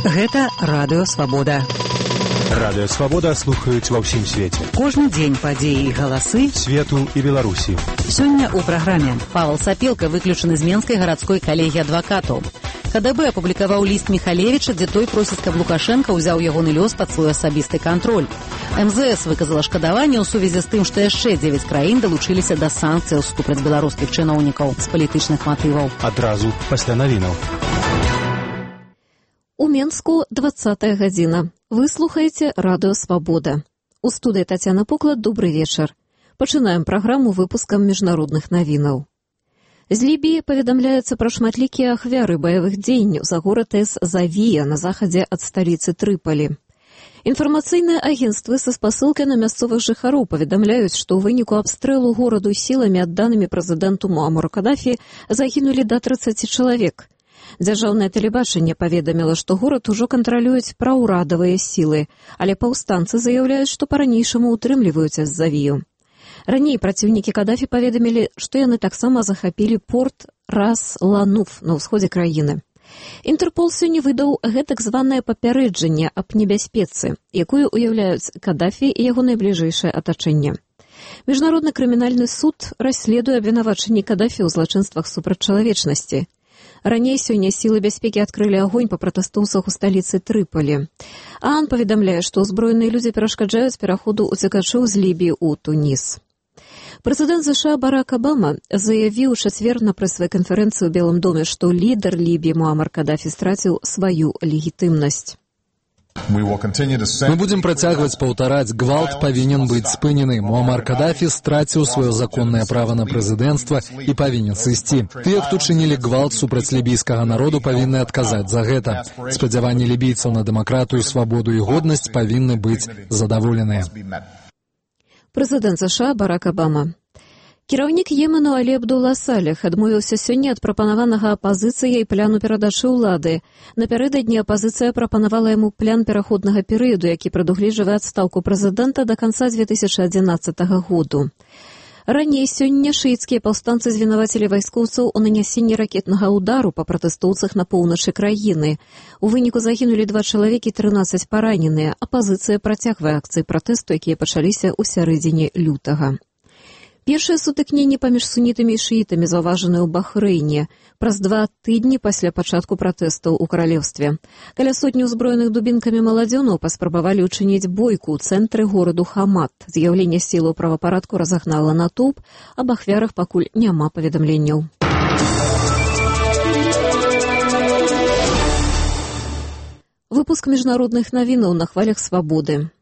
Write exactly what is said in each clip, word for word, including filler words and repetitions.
Гэта Радыё Свабода. Радыё Свабода слухаюць ва ўсім свеце. Кожны дзень падзеі і галасы свету і Беларусі. Сёння ў праграме Павел Сапелка выключаны з Менскай гарадской калегіі адвакатаў. КДБ апублікаваў ліст Міхалевіча, дзе той просіць, каб Лукашенка ўзяў ягоны лёс пад свой асабісты кантроль. МЗС выказала шкадаванне ў сувязі з тым, што яшчэ дзевяць краін далучыліся да санкцыяў супраць беларускіх чыноўнікаў з палітычных матываў. Адразу пасля навінаў. У Менску двадцатая гадзіна. Вы слухаеце Радыё Свабода. У студыі Тацяна Поклад, добрый вечар. Пачынаем праграму выпускам міжнародных навінаў. З Лібіі паведамляецца пра шматлікія ахвяры баявых дзеянняў за горад эс-Завія на захадзе ад сталіцы Трыполі. Інфармацыйныя агенцтвы са спасылкай на мясцовых жыхароў паведамляюць, што ў выніку абстрэлу гораду сіламі, адданымі прэзідэнту Муамару Кадафі, загінулі да трыццаці чалавек. Дзяржаўнае тэлебачанне паведаміла, што горад ужо кантралююць праўрадавыя сілы, але паўстанцы заяўляюць, што па-ранейшаму ўтрымліваюць эс-Завію. Раней праціўнікі Кадафі паведамілі, што яны таксама захапілі порт Рас-Лануф на ўсходзе краіны. Інтэрпол сёння выдаў гэтак званае папярэджанне аб небяспецы, якую уяўляюць Кадафі і яго найбліжэйшае атачэнне. Міжнародны крымінальны суд расследуе абвінавачанні Кадафі ў злачынствах супраць чалавечнасці. Раней сёння сілы бяспекі адкрылі агонь па пратэстоўцах у сталіцы Трыполі. ААН паведамляе, што ўзброеныя людзі перашкаджаюць пераходу ўцекачоў з Лібіі ў Туніс. Прэзідэнт ЗША Барак Абама заявіў у чацвер на прэсавай канферэнцыі ў Белым доме, што лідар Лібіі Муамар Кадафі страціў сваю легітымнасць. Мы будзем працягваць паўтараць, гвалт павінен быць спынены. Муамар Кадафі страціў сваё законнае права на прэзідэнцтва і павінен сысці. Тыя, хто чынілі гвалт супраць лібійскага народу, павінны адказаць за гэта. Спадзяванні лібійцаў на дэмакратыю, свабоду і годнасць павінны быць задаволеныя. Прэзідэнт ЗША Барак Абама. Кіраўнік Йемену Алі Абдулла Салех адмовіўся сёння ад прапанаванага апазіцыяй пляну перадачы ўлады. Напярэдадні апазіцыя прапанавала яму плян пераходнага перыяду, які прадугледжвае адстаўку прэзідэнта да канца дзве тысячы адзінаццатага году. Раней сёння шыіцкія паўстанцы звінавацілі вайскоўцаў у нанясенні ракетнага ўдару па пратэстоўцах на поўначы краіны. У выніку загінулі два чалавекі, трынаццаць параненыя. Апазіцыя працягвае акцыі пратэсту, якія пачаліся ў сярэдзіне лютага. Першае сутыкненне паміж сунітамі і шыітамі заўважаныя ў Бахрэйне праз два тыдні пасля пачатку пратэстаў у каралеўстве. Каля сотні ўзброеных дубінкамі маладзёнаў паспрабавалі ўчыніць бойку ў цэнтры гораду Хамат. З'яўленне сілаў правапарадку разагнала натоўп, аб ахвярах пакуль няма паведамленняў. Выпуск міжнародных навінаў на хвалях свабоды.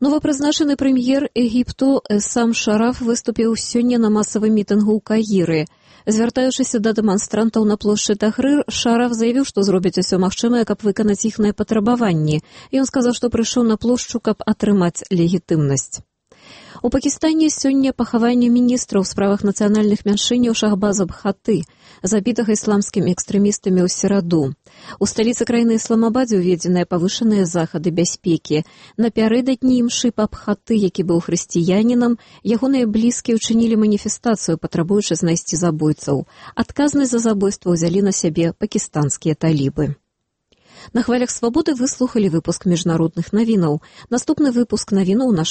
Новапрызначаны прэм'ер Егіпту Эссам Шараф выступіў сёння на масавым мітынгу ў Каіры. Звяртаючыся да дэманстрантаў на плошчы Тахрыр, Шараф заявіў, што зробіць усё магчымае, каб выканаць іхныя патрабаванні. Ён сказаў, што прыйшоў на плошчу, каб атрымаць легітымнасць. У Пакістане сёння пахаванне міністра ў справах нацыянальных мяншыняў Шахбаза Бхаты, забітага ісламскімі экстрэмістамі ў сераду. У сталіцы краіны Ісламабадзе ўведзеныя павышаныя захады бяспекі. Напярэдадні імшы па Бхаты, які быў хрысціянінам, ягоныя блізкія ўчынілі маніфестацыю, патрабуючы знайсці забойцаў. Адказнасць за забойства ўзялі на сябе пакістанскія талібы. На хвалях свабоды выслухалі выпуск міжнародных навінаў. Наступны выпуск навінаў наш